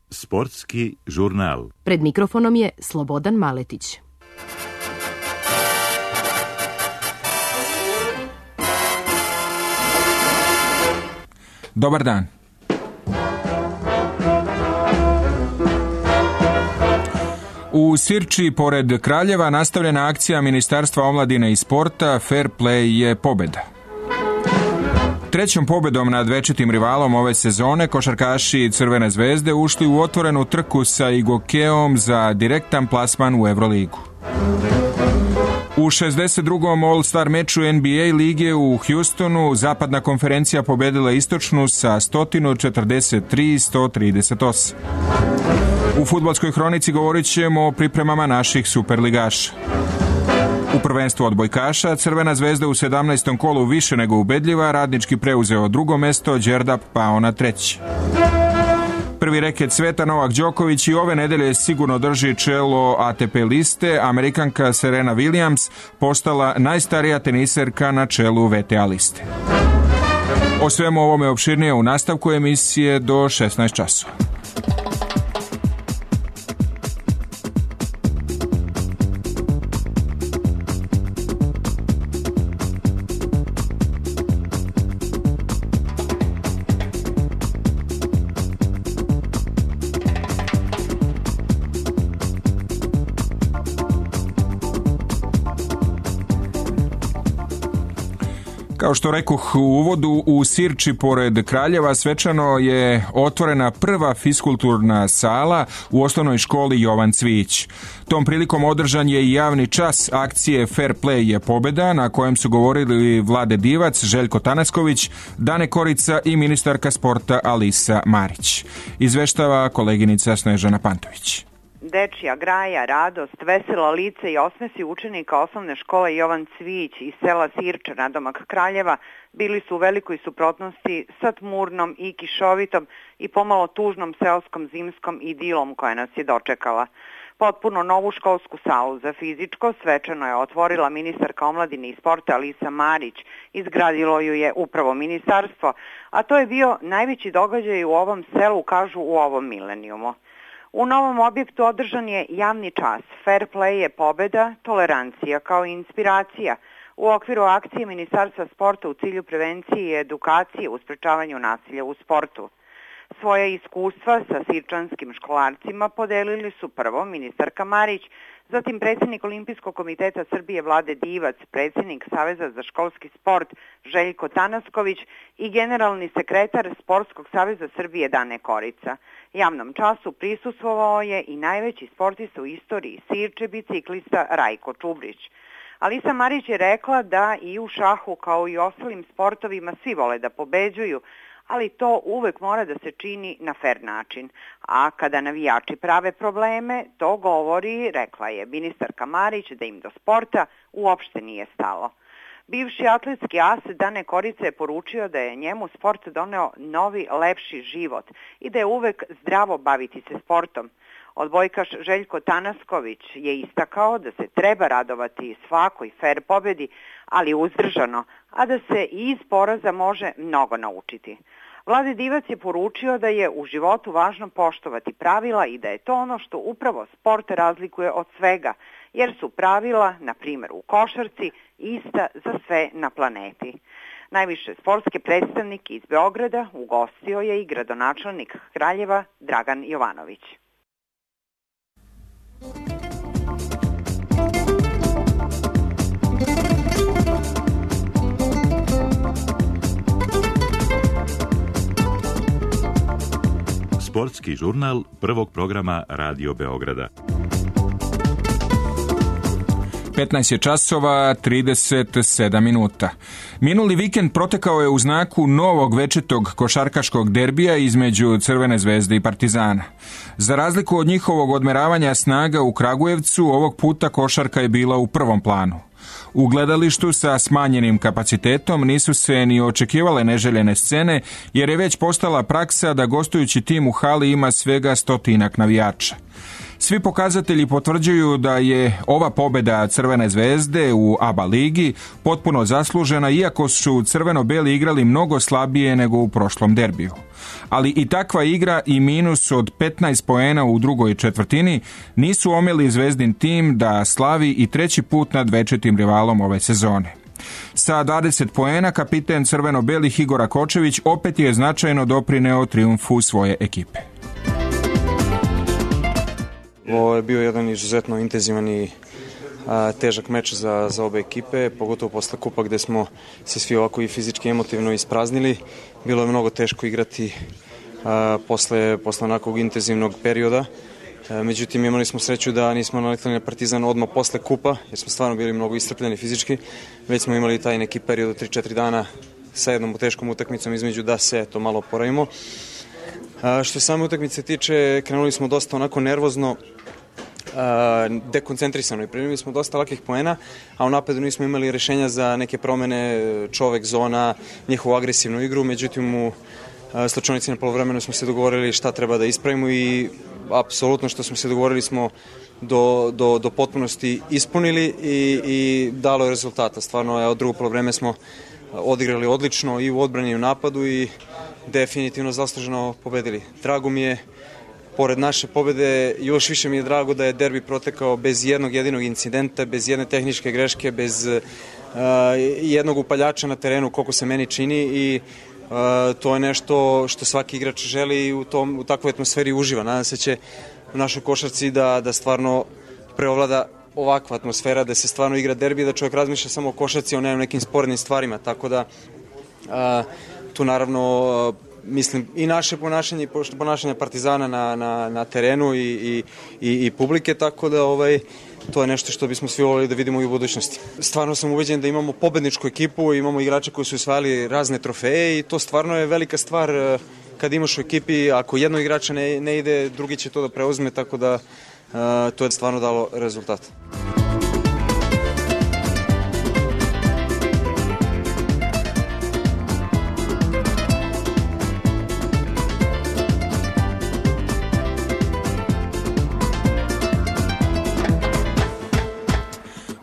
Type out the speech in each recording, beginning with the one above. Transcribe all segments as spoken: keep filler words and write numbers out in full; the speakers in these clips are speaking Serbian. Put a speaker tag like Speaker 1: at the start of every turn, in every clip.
Speaker 1: Sportski žurnal.
Speaker 2: Pred mikrofonom je Slobodan Maletić.
Speaker 3: Dobar dan. U Sirči, pored Kraljeva, nastavljena akcija Ministarstva omladine i sporta Fair Play je pobjeda. Trećom pobjedom nad večitim rivalom ove sezone košarkaši Crvene zvezde ušli u otvorenu trku sa Igokeom za direktan plasman u Euroligu. U šezdeset drugom All-Star meču N B A lige u Houstonu zapadna konferencija pobjedila istočnu sa sto četrdeset tri sto trideset osam. U fudbalskoj hronici govorit ćemo o pripremama naših superligaša. U prvenstvu odbojkaša Crvena zvezda u sedamnaestom kolu više nego ubedljiva, Radnički preuzeo drugo mesto, Đerdap pao na treće. Prvi reket sveta Novak Đoković i ove nedelje sigurno drži čelo A T P liste, Amerikanka Serena Williams postala najstarija teniserka na čelu V T A liste. O svemu ovome opširnije u nastavku emisije do šesnaest časova. Kao što rekoh u uvodu, u Sirči pored Kraljeva svečano je otvorena prva fiskulturna sala u osnovnoj školi Jovan Cvijić. Tom prilikom održan je i javni čas akcije Fair Play je pobjeda, na kojem su govorili Vlade Divac, Željko Tanasković, Dane Korica i ministarka sporta Alisa Marić. Izveštava koleginica Snežana Pantović.
Speaker 4: Dečija graja, radost, vesela lice i osmesi učenika osnovne škole Jovan Cvijić iz sela Sirča nadomak Kraljeva bili su u velikoj suprotnosti sa tmurnom i kišovitom i pomalo tužnom seoskom zimskom idilom koja nas je dočekala. Potpuno novu školsku salu za fizičko svečano je otvorila ministarka omladine i sporta Alisa Marić. Izgradilo ju je upravo ministarstvo, a to je bio najveći događaj u ovom selu, kažu u ovom milenijumu. U novom objektu održan je javni čas. Fair play je pobjeda, tolerancija kao i inspiracija u okviru akcije Ministarstva sporta u cilju prevencije i edukacije u sprečavanju nasilja u sportu. Svoje iskustva sa sirčanskim školarcima podelili su prvo ministarka Marić, zatim predsjednik Olimpijskog komiteta Srbije Vlade Divac, predsjednik Saveza za školski sport Željko Tanasković i generalni sekretar Sportskog saveza Srbije Dane Korica. Javnom času prisustvovao je i najveći sportista u istoriji Sirče, biciklista Rajko Čubrić. Alisa Marić je rekla da i u šahu kao i ostalim sportovima svi vole da pobeđuju, ali to uvek mora da se čini na fer način. A kada navijači prave probleme, to govori, rekla je ministarka Marić, da im do sporta uopšte nije stalo. Bivši atletski as Dane Korica je poručio da je njemu sport doneo novi, lepši život i da je uvek zdravo baviti se sportom. Odbojkaš Željko Tanasković je istakao da se treba radovati svakoj fer pobedi, ali uzdržano, a da se i iz poraza može mnogo naučiti. Vlade Divac je poručio da je u životu važno poštovati pravila i da je to ono što upravo sport razlikuje od svega, jer su pravila, na primjer u košarci, ista za sve na planeti. Najviše sportske predstavnike iz Beograda ugostio je i gradonačelnik Kraljeva Dragan Jovanović.
Speaker 1: Sportski žurnal prvog programa Radio Beograda.
Speaker 3: petnaest je časova, trideset sedam minuta. Minuli vikend protekao je u znaku novog večitog košarkaškog derbija između Crvene zvezde i Partizana. Za razliku od njihovog odmeravanja snaga u Kragujevcu, ovog puta košarka je bila u prvom planu. U gledalištu sa smanjenim kapacitetom nisu se ni očekivale neželjene scene, jer je već postala praksa da gostujući tim u hali ima svega stotinak navijača. Svi pokazatelji potvrđuju da je ova pobjeda Crvene zvezde u A B A ligi potpuno zaslužena, iako su crveno-beli igrali mnogo slabije nego u prošlom derbiju. Ali i takva igra i minus od petnaest poena u drugoj četvrtini nisu omeli Zvezdin tim da slavi i treći put nad večitim rivalom ove sezone. Sa dvadeset poena kapiten crveno-belih Igor Rakočević opet je značajno doprineo trijumfu svoje ekipe.
Speaker 5: Ovo je bio jedan izuzetno intenzivan i a, težak meč za, za obe ekipe, pogotovo posle kupa gde smo se svi ovako i fizički i emotivno ispraznili. Bilo je mnogo teško igrati a, posle, posle onakvog intenzivnog perioda. A, međutim, imali smo sreću da nismo naletali na Partizan odmah posle kupa, jer smo stvarno bili mnogo iscrpljeni fizički. Već smo imali taj neki period od tri četiri dana sa jednom teškom utakmicom između da se to malo oporavimo. A, što same utakmice tiče, krenuli smo dosta onako nervozno, a, dekoncentrisano i primili smo dosta lakih poena, a u napadu nismo imali rešenja za neke promene, čovek, zona, njihovu agresivnu igru. Međutim, u slučajnici na polovremenu smo se dogovorili šta treba da ispravimo i apsolutno što smo se dogovorili smo do, do, do potpunosti ispunili i, i dalo je rezultata. Stvarno, od drugo polovreme smo odigrali odlično i u odbrani i u napadu i definitivno zasluženo pobedili. Drago mi je, pored naše pobede, još više mi je drago da je derbi protekao bez jednog jedinog incidenta, bez jedne tehničke greške, bez uh, jednog upaljača na terenu, koliko se meni čini i uh, to je nešto što svaki igrač želi i u, tom, u takvoj atmosferi uživa. Nadam se će u našoj košarci da, da stvarno preovlada ovakva atmosfera, da se stvarno igra derbi, da čovjek razmišlja samo o košarci, o nekim sporednim stvarima, tako da a, tu naravno a, mislim i naše ponašanje i ponašanje Partizana na, na, na terenu i, i, i, i publike, tako da ovaj, to je nešto što bismo svi volili da vidimo i u budućnosti. Stvarno sam ubeđen da imamo pobedničku ekipu, imamo igrače koji su osvajali razne trofeje i to stvarno je velika stvar a, kad imaš u ekipi, ako jedno igrača ne, ne ide, drugi će to da preuzme, tako da Uh, to je stvarno dalo rezultat.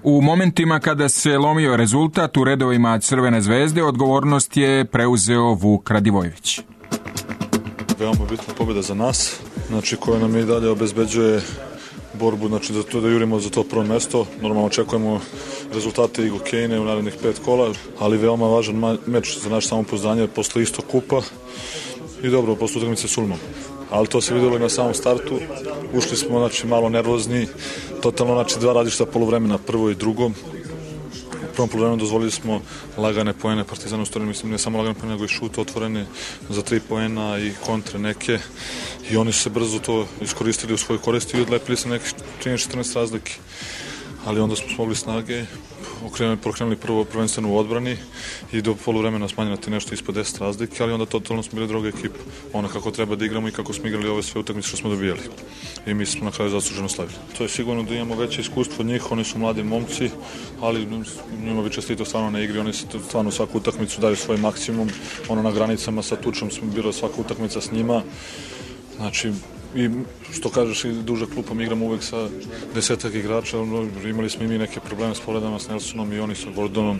Speaker 3: U momentima kada se lomio rezultat u redovima Crvene zvezde, odgovornost je preuzeo Vuk Radivojević.
Speaker 6: Veoma bitna pobjeda za nas, znači koja nam i dalje obezbeđuje borbu, znači za to da jurimo za to prvo mesto. Normalno očekujemo rezultate i Gokejne u narednih pet kola, ali veoma važan meč za naše samopouzdanje posle istog kupa i dobro, posle utakmice s Ulmom. Ali to se videlo i na samom startu. Ušli smo znači malo nervozni, totalno znači dva različita poluvremena, prvo i drugo. U prvom poluvremenu dozvolili smo lagane poene Partizanu, stvarno mislim ne samo lagane poene, nego i šut otvorene za tri poena i kontre neke. I oni su se brzo to iskoristili u svoj korist i odlepili se nekih trinaest četrnaest razlike. Ali onda smo smogli snage, okrenuli, prokrenuli prvo prvenstveno u odbrani i do poluvremena smanjati nešto ispod deset razlike, ali onda totalno smo bili druga ekipa. Ona kako treba da igramo i kako smo igrali ove sve utakmice što smo dobijali. I mi smo na kraju zasluženo slavili. To je sigurno da imamo veće iskustvo od njih, oni su mladi momci, ali njima bi čestito stvarno na igri, oni se stvarno svaku utakmicu daju svoj maksimum, ono na granicama sa Tučom smo bilo svaka utakmica s njima. Znači, i što kažeš, i duža klupa, mi igramo uvek sa desetak igrača, imali smo i mi neke probleme s povredama s Nelsonom i oni sa Gordonom,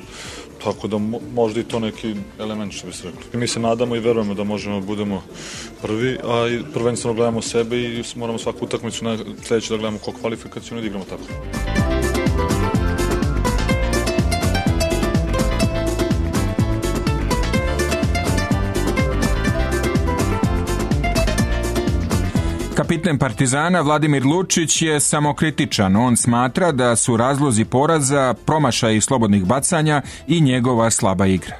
Speaker 6: tako da možda i to neki element što bi se rekli. Mi se nadamo i verujemo da možemo da budemo prvi, a i prvenstveno gledamo sebe i moramo svaku utakmicu na sledeću da gledamo kao kvalifikaciju i da igramo tako.
Speaker 3: Kapiten Partizana Vladimir Lučić je samokritičan. On smatra da su razlozi poraza promašaji slobodnih bacanja i njegova slaba igra.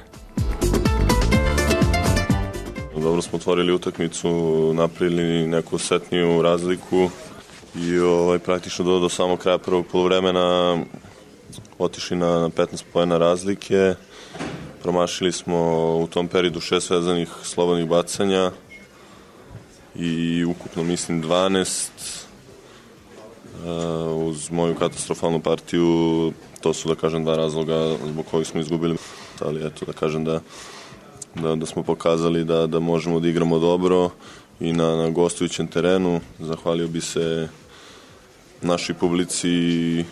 Speaker 7: Dobro smo otvorili utakmicu, napravili neku setniju razliku i ovaj, praktično do, do samog kraja prvog poluvremena otišli na petnaest poena razlike. Promašili smo u tom periodu šest vezanih slobodnih bacanja i ukupno mislim dvanaest uh, uz moju katastrofalnu partiju. To su da kažem dva razloga zbog kojih smo izgubili, ali eto da kažem da, da, da smo pokazali da, da možemo da igramo dobro i na, na gostujućem terenu. Zahvalio bi se našoj publici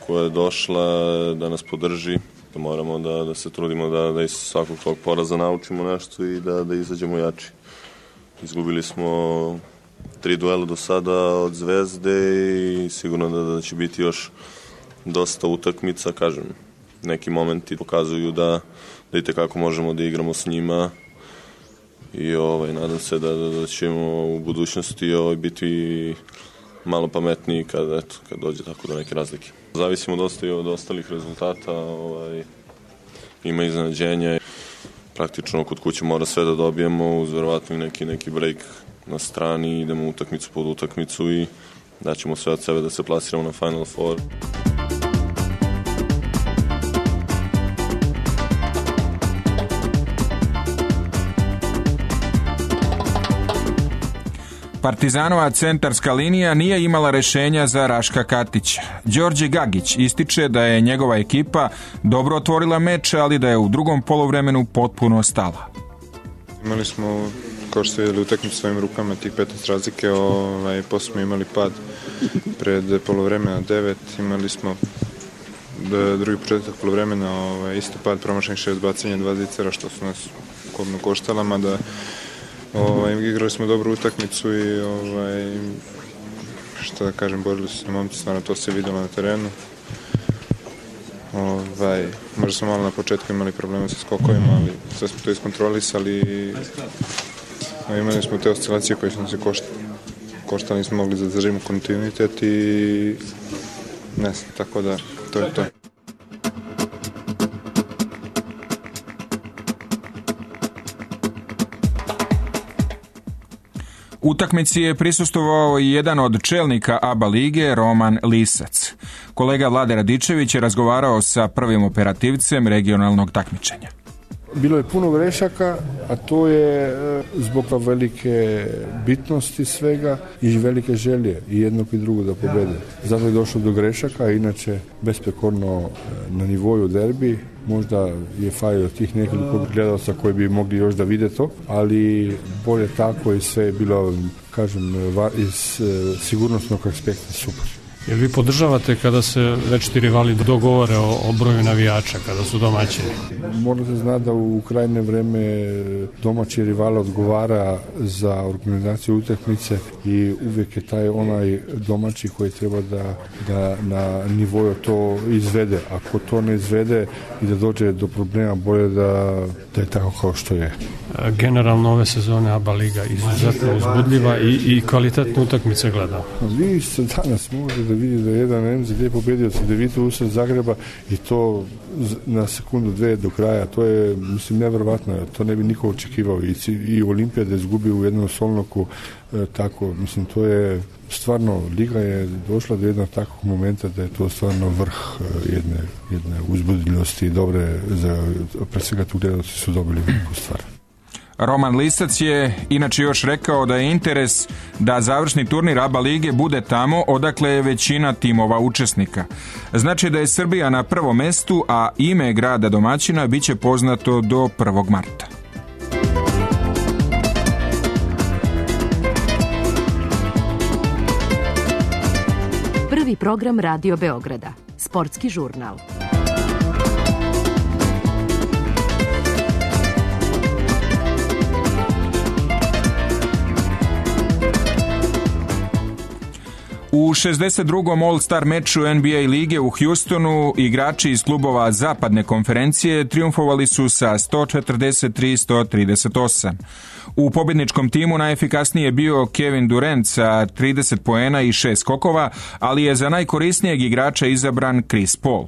Speaker 7: koja je došla da nas podrži, da moramo da, da se trudimo da, da iz svakog tog poraza naučimo nešto i da, da izađemo jači. Izgubili smo tri duela do sada od Zvezde i sigurno da, da će biti još dosta utakmica, kažem. Neki momenti pokazuju da, da i tekako možemo da igramo s njima i ovaj, nadam se da, da, da ćemo u budućnosti ovaj, biti malo pametniji kad, eto, kad dođe tako do neke razlike. Zavisimo dosta i od ostalih rezultata, ovaj, ima iznenađenja. Praktično kod kuće mora sve da dobijemo, uz verovatno neki, neki break na strani, idemo utakmicu pod utakmicu i daćemo sve od sebe da se plasiramo na Final Four.
Speaker 3: Partizanova centarska linija nije imala rešenja za Raška Katića. Đorđe Gagić ističe da je njegova ekipa dobro otvorila meč, ali da je u drugom poluvremenu potpuno stala.
Speaker 8: Imali smo, kao što ste vidjeli, utakmicu svojim rukama tih petnaest razlike, ovaj, posle smo imali pad pred poluvremena devet, imali smo drugi početak poluvremena, ovaj, isto pad, promašenih šest bacanja, dva zicera, što su nas kodno koštala, mada Ovaj, igrali smo dobru utakmicu i ovaj, šta da kažem, borili su se momci, stvarno to se videlo na terenu. Ovaj, možda smo malo na početku imali problema sa skokovima, ali sve smo to iskontrolisali i imali smo te oscilacije koje su se koštali. Koštali nismo mogli da zadržimo kontinuitet i ne znam, tako da to je to.
Speaker 3: Utakmici je prisustvovao i jedan od čelnika A B A lige, Roman Lisac. Kolega Vlade Radičević je razgovarao sa prvim operativcem regionalnog takmičenja.
Speaker 9: Bilo je puno grešaka, a to je zbog velike bitnosti svega i velike želje i jednog i drugog da pobede. Zato je došlo do grešaka, a inače besprekorno na nivoju derbi. Možda je falilo tih nekoliko gledalca koji bi mogli još da vide to, ali bolje tako i sve je bilo, kažem, iz sigurnosnog aspekta super.
Speaker 10: Jer vi podržavate kada se večiti rivali dogovore o, o broju navijača, kada su domaćini?
Speaker 9: Mora se zna da u krajnje vreme domaći rival odgovara za organizaciju utakmice i uvijek je taj onaj domaći koji treba da, da na nivoju to izvede. Ako to ne izvede i da dođe do problema, bolje da, da je tako kao što je.
Speaker 10: Generalno ove sezone A B A liga izuzetno uzbudljiva i, i kvalitetne utakmice gleda.
Speaker 9: Vi se danas možete da vidi da je jedan M Z D pobedio sa Devitu usred Zagreba i to na sekundu dve do kraja. To je, mislim, nevjerovatno. To ne bi niko očekivao. I, i Olimpija da izgubi u jednom solnoku e, tako. Mislim, to je stvarno, liga je došla do jednog takvog momenta da je to stvarno vrh jedne, jedne uzbudljivosti i dobre, za, pre svega tu gledalci su dobili veliku stvar.
Speaker 3: Roman Lisac je inače još rekao da je interes da završni turnir A B A lige bude tamo odakle je većina timova učesnika. Znači da je Srbija na prvom mestu, a ime grada domaćina biće poznato do prvog marta.
Speaker 2: Prvi program Radio Beograda. Sportski žurnal.
Speaker 3: U šezdeset drugom All-Star meču N B A lige u Houstonu igrači iz klubova Zapadne konferencije triumfovali su sa sto četrdeset tri sto trideset osam. U pobjedničkom timu najefikasniji je bio Kevin Durant sa trideset poena i šest skokova, ali je za najkorisnijeg igrača izabran Chris Paul.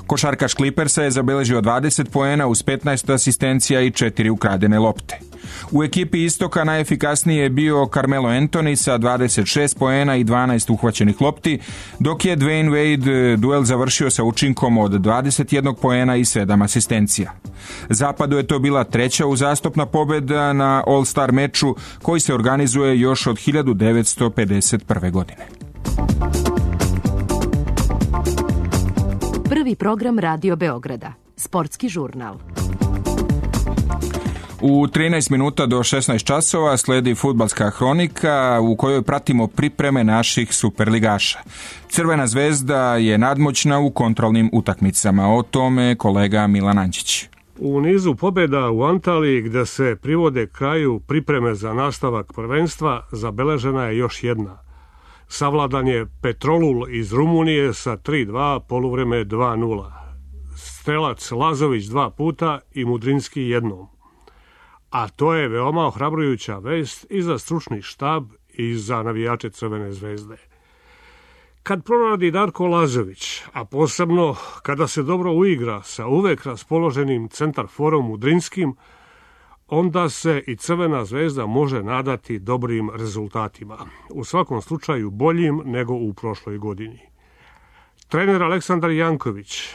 Speaker 3: Košarkaš Clippersa je zabeležio dvadeset poena uz petnaest asistencija i četiri ukradene lopte. U ekipi Istoka najefikasniji je bio Carmelo Anthony sa dvadeset šest poena i dvanaest uhvaćenih lopti, dok je Dwayne Wade duel završio sa učinkom od dvadeset jedan poena i sedam asistencija. Zapadu je to bila treća uzastopna pobjeda na All-Star meču koji se organizuje još od hiljadu devetsto pedeset prve. godine.
Speaker 2: Prvi program Radio Beograda. Sportski žurnal.
Speaker 3: U trinaest minuta do šesnaest časova sledi fudbalska hronika u kojoj pratimo pripreme naših superligaša. Crvena zvezda je nadmoćna u kontrolnim utakmicama. O tome kolega Milan Ančić.
Speaker 11: U nizu pobjeda u Antaliji, gde se privode kraju pripreme za nastavak prvenstva, zabeležena je još jedna. Savladan je Petrolul iz Rumunije sa tri dva, poluvreme dva nula. Strelac Lazović dva puta i Mudrinski jednom. A to je veoma ohrabrujuća vest i za stručni štab i za navijače Crvene zvezde. Kad proradi Darko Lazović, a posebno kada se dobro uigra sa uvek raspoloženim centarforom Mudrinskim, onda se i Crvena zvezda može nadati dobrim rezultatima. U svakom slučaju boljim nego u prošloj godini. Trener Aleksandar Janković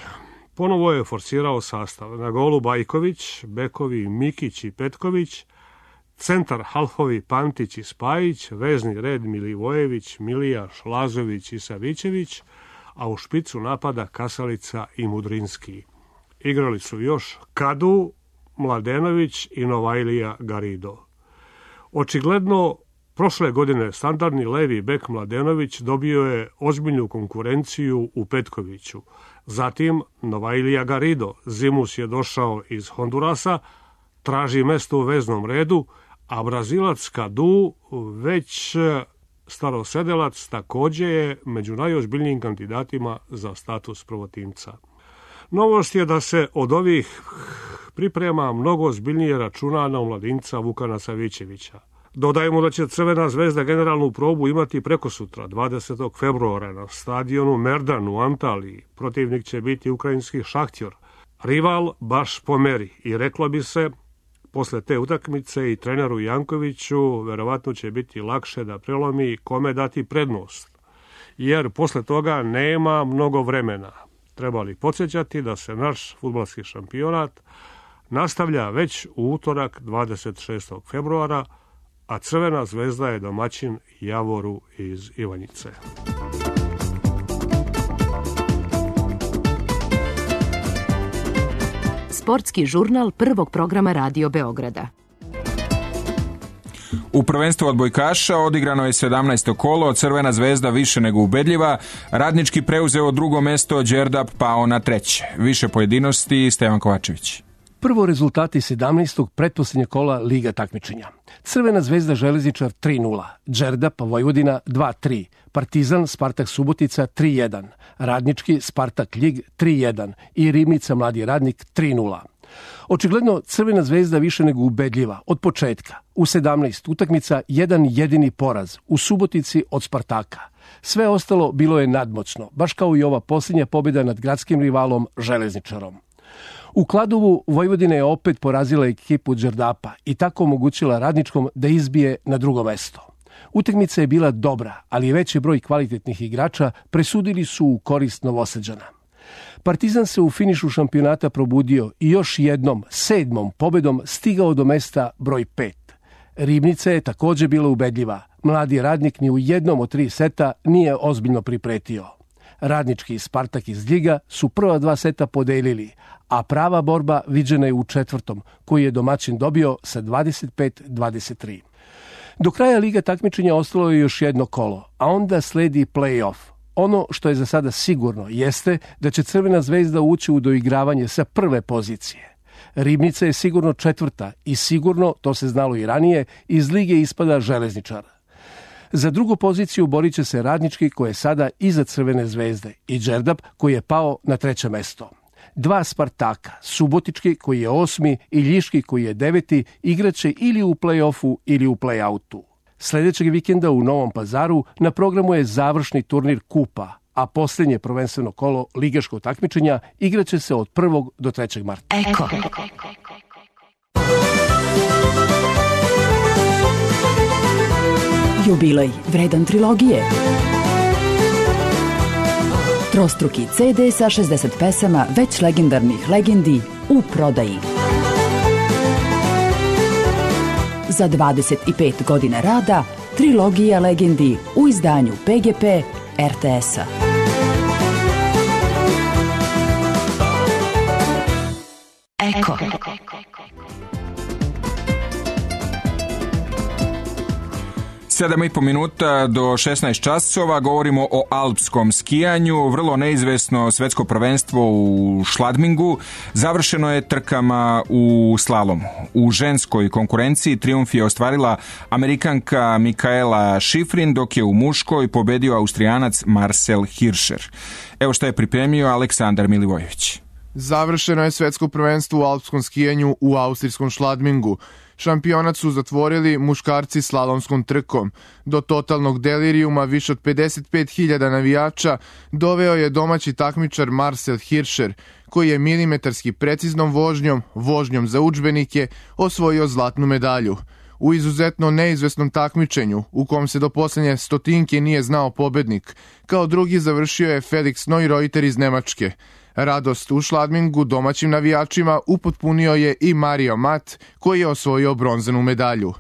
Speaker 11: ponovo je forsirao sastav. Na golu Bajković, bekovi Mikić i Petković, centar halfovi Pantić i Spajić, vezni red Milivojević, Milijaš, Lazović i Savićević, a u špicu napada Kasalica i Mudrinski. Igrali su još Kadu, Mladenović i Novajlija Garido. Očigledno, prošle godine standardni levi bek Mladenović dobio je ozbiljnu konkurenciju u Petkoviću. Zatim Novajlija Garido, zimus je došao iz Hondurasa, traži mesto u veznom redu, a Brazilac Kadu, već starosedelac, također je među najozbiljnijim kandidatima za status prvotimca. Novost je da se od ovih priprema mnogo ozbiljnije računa na omladinca Vukana Savićevića. Dodajemo da će Crvena zvezda generalnu probu imati prekosutra, dvadesetog februara, na stadionu Merdan u Antaliji. Protivnik će biti ukrajinski Šahtjor. Rival baš po meri i reklo bi se, posle te utakmice i treneru Jankoviću verovatno će biti lakše da prelomi kome dati prednost, jer posle toga nema mnogo vremena. Treba li podsjećati da se naš fudbalski šampionat nastavlja već u utorak dvadeset šestog februara, a Crvena zvezda je domaćin Javoru iz Ivanjice.
Speaker 2: Sportski žurnal prvog programa Radio Beograda.
Speaker 3: U prvenstvu odbojkaša odigrano je sedamnaesto kolo, Crvena zvezda više nego ubedljiva, Radnički preuzeo drugo mesto, Đerdap pao na treće. Više pojedinosti, Stevan Kovačević.
Speaker 12: Prvo rezultati sedamnaestog pretposlednjeg kola Liga takmičenja. Crvena zvezda Železničar tri nula, Đerdap Vojvodina dva tri, Partizan Spartak Subotica tri jedan, Radnički Spartak Ljig tri jedan i Ribnica Mladi Radnik tri nula. Očigledno Crvena zvezda više nego ubedljiva od početka. U sedamnaest utakmica jedan jedini poraz u Subotici od Spartaka. Sve ostalo bilo je nadmoćno, baš kao i ova posljednja pobjeda nad gradskim rivalom Železničarom. U Kladovu Vojvodina je opet porazila ekipu Đerdapa i tako omogućila Radničkom da izbije na drugo mesto. Utakmica je bila dobra, ali veći broj kvalitetnih igrača presudili su u korist Novosađana. Partizan se u finišu šampionata probudio i još jednom, sedmom pobedom stigao do mesta broj pet. Ribnica je također bila ubedljiva. Mladi Radnik ni u jednom od tri seta nije ozbiljno pripretio. Radnički i Spartak iz Ljiga su prva dva seta podelili, a prava borba viđena je u četvrtom, koji je domaćin dobio sa dvadeset pet dvadeset tri. Do kraja Liga takmičenja ostalo je još jedno kolo, a onda sledi play-off. Ono što je za sada sigurno jeste da će Crvena zvezda ući u doigravanje sa prve pozicije. Ribnica je sigurno četvrta i sigurno, to se znalo i ranije, iz lige ispada Železničar. Za drugu poziciju borit će se Radnički koji je sada iza Crvene zvezde i Đerdap koji je pao na treće mesto. Dva Spartaka, Subotički koji je osmi i Ljiški koji je deveti, igraće ili u play-offu ili u play-outu. Sljedećeg vikenda u Novom Pazaru na programu je završni turnir Kupa, a posljednje prvenstveno kolo ligaškog takmičenja igraće se od prvog do trećeg marta.
Speaker 2: Eko. Jubilej vredan trilogije. Trostruki ce de sa šezdeset pesama već legendarnih legendi u prodaji. Za dvadeset pet godina rada, trilogija legendi u izdanju pe ge pe er te esa. Eko.
Speaker 3: sedam i po minuta do šesnaest časova, govorimo o alpskom skijanju, vrlo neizvesno svetsko prvenstvo u Schladmingu, završeno je trkama u slalomu. U ženskoj konkurenciji trijumf je ostvarila Amerikanka Mikaela Schifrin, dok je u muškoj pobedio Austrijanac Marcel Hirscher. Evo što je pripremio Aleksandar Milivojević.
Speaker 13: Završeno je svetsko prvenstvo u alpskom skijanju u austrijskom Schladmingu. Šampionat su zatvorili muškarci slalomskom trkom. Do totalnog delirijuma više od pedeset pet hiljada navijača doveo je domaći takmičar Marcel Hirscher, koji je milimetarski preciznom vožnjom, vožnjom za udžbenike, osvojio zlatnu medalju. U izuzetno neizvesnom takmičenju, u kom se do posljednje stotinke nije znao pobednik, kao drugi završio je Felix Neureuter iz Nemačke. Radost u Schladmingu domaćim navijačima upotpunio je i Mario Mat, koji je osvojio bronzanu medalju.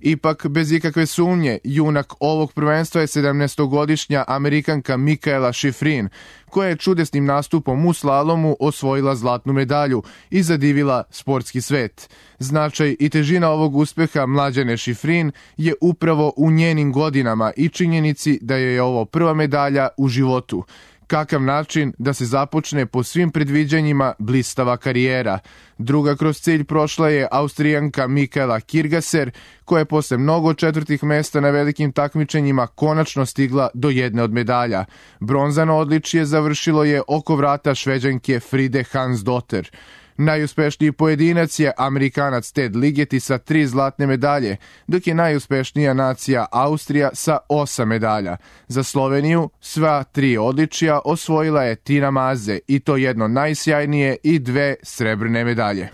Speaker 13: Ipak, bez ikakve sumnje, junak ovog prvenstva je sedamnaestogodišnja Amerikanka Mikaela Schifrin, koja je čudesnim nastupom u slalomu osvojila zlatnu medalju i zadivila sportski svet. Značaj i težina ovog uspeha mlađane Schifrin je upravo u njenim godinama i činjenici da joj je ovo prva medalja u životu. Kakav način da se započne po svim predviđanjima blistava karijera. Druga kroz cilj prošla je Austrijanka Mikaela Kirgaser, koja je posle mnogo četvrtih mesta na velikim takmičenjima konačno stigla do jedne od medalja. Bronzano odličje završilo je oko vrata Šveđanke Fride Hansdotter. Najuspešniji pojedinac je Amerikanac Ted Ligeti sa tri zlatne medalje, dok je najuspešnija nacija Austrija sa osam medalja. Za Sloveniju sva tri odličja osvojila je Tina Maze, i to jedno najsjajnije i dve srebrne medalje.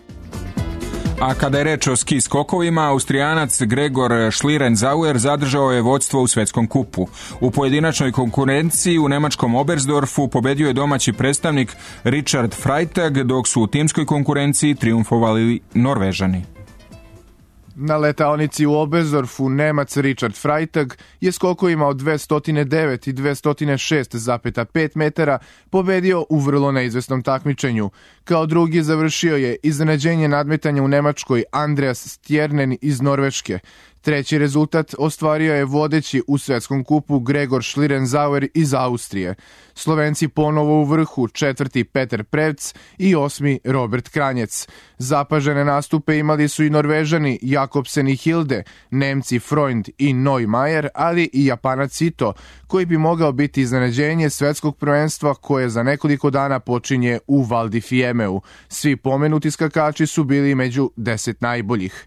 Speaker 3: A kada je reč o ski skokovima, Austrijanac Gregor Schlierenzauer zadržao je vodstvo u svetskom kupu. U pojedinačnoj konkurenciji u nemačkom Oberstdorfu pobedio je domaći predstavnik Richard Freitag, dok su u timskoj konkurenciji trijumfovali Norvežani.
Speaker 13: Na letaonici u Oberstdorfu Nemac Richard Freitag je skokovima od dvesta devet i dvesta šest zarez pet metara pobedio u vrlo neizvesnom takmičenju. Kao drugi završio je iznenađenje nadmetanja u Nemačkoj Andreas Stjernen iz Norveške. Treći rezultat ostvario je vodeći u svetskom kupu Gregor Schlierenzauer iz Austrije. Slovenci ponovo u vrhu, četvrti Peter Prevc i osmi Robert Kranjec. Zapažene nastupe imali su i Norvežani Jakobsen i Hilde, Nemci Freund i Neumayer, ali i Japanac Ito, koji bi mogao biti iznenađenje svetskog prvenstva koje za nekoliko dana počinje u Val di Fiemeu. Svi pomenuti skakači su bili među deset najboljih.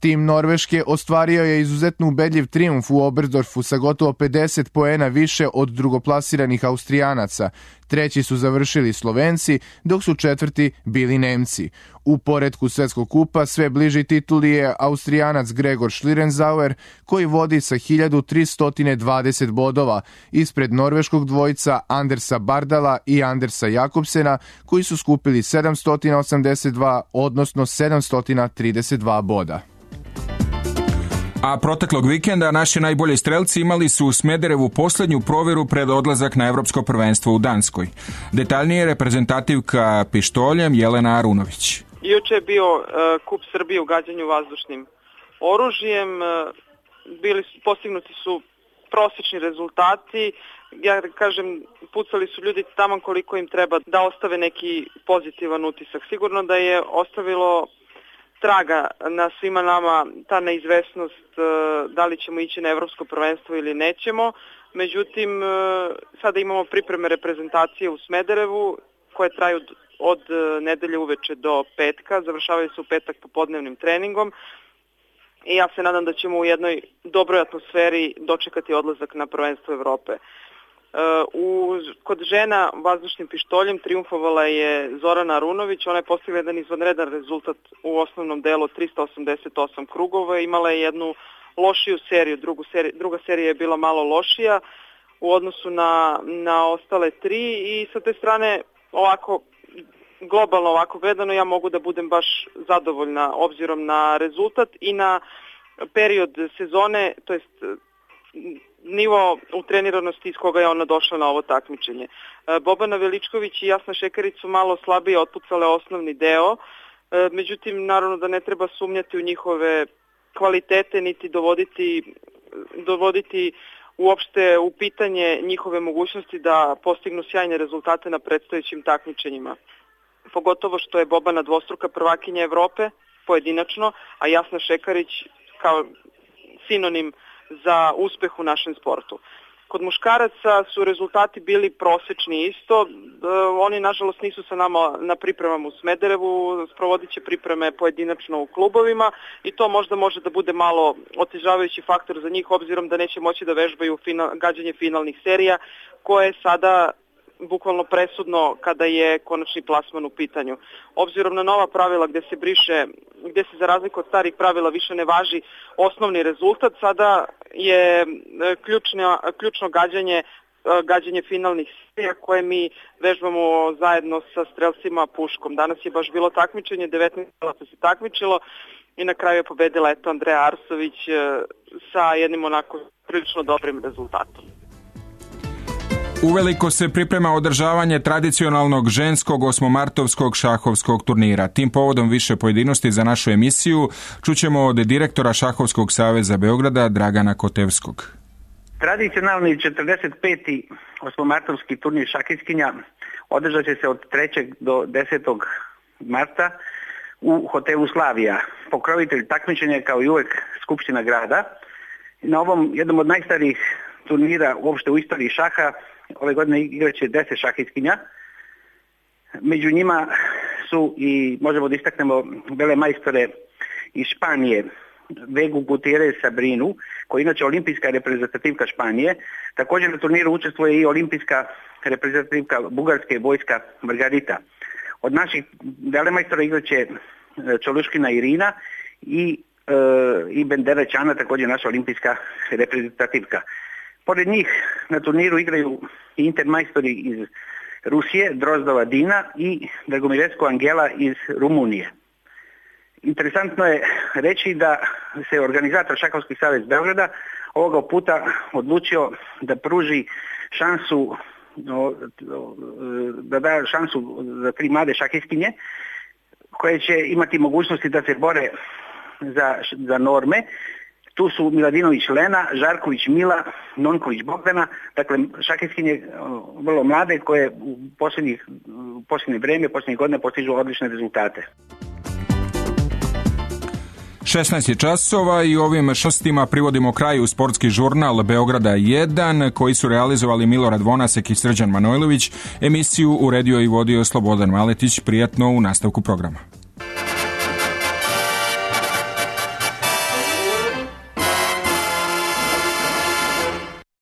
Speaker 13: Tim Norveške ostvario je izuzetno ubedljiv trijumf u Oberstdorfu sa gotovo pedeset poena više od drugoplasiranih Austrijanaca. Treći su završili Slovenci, dok su četvrti bili Nemci. U poretku svetskog kupa sve bliži tituli je Austrijanac Gregor Schlierenzauer, koji vodi sa hiljadu tristo dvadeset bodova, ispred norveškog dvojca Andersa Bardala i Andersa Jakobsena, koji su skupili sedamsto osamdeset dva, odnosno sedamsto trideset dva boda.
Speaker 3: A proteklog vikenda naši najbolji strelci imali su u Smederevu posljednju provjeru pred odlazak na Evropsko prvenstvo u Danskoj. Detaljnije reprezentativka pištoljem Jelena Arunović.
Speaker 14: Juče je bio uh, kup Srbije u gađanju vazdušnim oružjem. Uh, bili su, postignuti su prosječni rezultati. Ja kažem, pucali su ljudi tamo koliko im treba da ostave neki pozitivan utisak. Sigurno da je ostavilo traga na svima nama ta neizvesnost da li ćemo ići na Evropsko prvenstvo ili nećemo. Međutim, sada imamo pripreme reprezentacije u Smederevu koje traju od nedelje uveče do petka, završavaju se u petak popodnevnim treningom i ja se nadam da ćemo u jednoj dobroj atmosferi dočekati odlazak na prvenstvo Evrope. U, kod žena vazdušnim pištoljem triumfovala je Zorana Arunović, ona je postigla jedan izvanredan rezultat u osnovnom delu od trista osamdeset osam krugova, imala je jednu lošiju seriju, drugu seriju, druga serija je bila malo lošija u odnosu na, na ostale tri i sa te strane ovako globalno ovako gledano ja mogu da budem baš zadovoljna obzirom na rezultat i na period sezone, to jest nivo utreniranosti iz koga je ona došla na ovo takmičenje. Bobana Veličković i Jasna Šekarić su malo slabije otpucale osnovni deo, međutim naravno da ne treba sumnjati u njihove kvalitete niti dovoditi dovoditi uopšte u pitanje njihove mogućnosti da postignu sjajne rezultate na predstojećim takmičenjima. Pogotovo što je Bobana dvostruka prvakinja Evrope pojedinačno, a Jasna Šekarić kao sinonim za uspeh u našem sportu. Kod muškaraca su rezultati bili prosečni isto, oni nažalost nisu sa nama na pripremama u Smederevu, sprovodit će pripreme pojedinačno u klubovima i to možda može da bude malo otežavajući faktor za njih obzirom da neće moći da vežbaju final, gađanje finalnih serija koje je sada bukvalno presudno kada je konačni plasman u pitanju. Obzirom na nova pravila gde se briše, gde se za razliku od starih pravila više ne važi osnovni rezultat, sada je ključno, ključno gađanje, gađanje finalnih serija koje mi vežbamo zajedno sa strelcima puškom. Danas je baš bilo takmičenje, devetnaest strelaca se takmičilo i na kraju je pobedila eto Andreja Arsović sa jednim onako prilično dobrim rezultatom.
Speaker 3: Uveliko se priprema održavanje tradicionalnog ženskog osmomartovskog šahovskog turnira. Tim povodom više pojedinosti za našu emisiju čućemo od direktora Šahovskog saveza Beograda Dragana Kotevskog.
Speaker 15: Tradicionalni četrdeset peti osmomartovski turnir šahistkinja održat će se od trećeg do desetog marta u hotelu Slavija. Pokrovitelj takmičenja je kao i uvek Skupština grada. Na ovom jednom od najstarijih turnira uopšte u istoriji šaha ove godine igraće deset šahistkinja. Među njima su i možemo da istaknemo vele majstore iz Španije, Vegu Gutierrez Sabrinu, koja je inače olimpijska reprezentativka Španije. Također na turniru učestvuje i olimpijska reprezentativka Bugarske Vojska Margarita. Od naših velemajstora igraće Čoluškina Irina i, e, i Bendera Čana, također naša olimpijska reprezentativka. Pored njih na turniru igraju i intermajstori iz Rusije, Drozdova Dina i Dragomiresko Angela iz Rumunije. Interesantno je reći da se organizator Šahovski savez Beograda ovoga puta odlučio da pruži šansu, da da šansu za tri mlade šahistkinje koje će imati mogućnosti da se bore za, za norme. Tu su Miladinović Lena, Žarković Mila, Nonković Bogdana, dakle šahistkinje vrlo mlade koje u posljednjih, u posljednje vreme, posljednjih godina postižu odlične rezultate.
Speaker 3: šesnaest je časova i ovim šestima privodimo kraju sportski žurnal Beograda jedan koji su realizovali Milorad Vonasek i Srđan Manojlović. Emisiju uredio i vodio Slobodan Maletić. Prijatno u nastavku programa.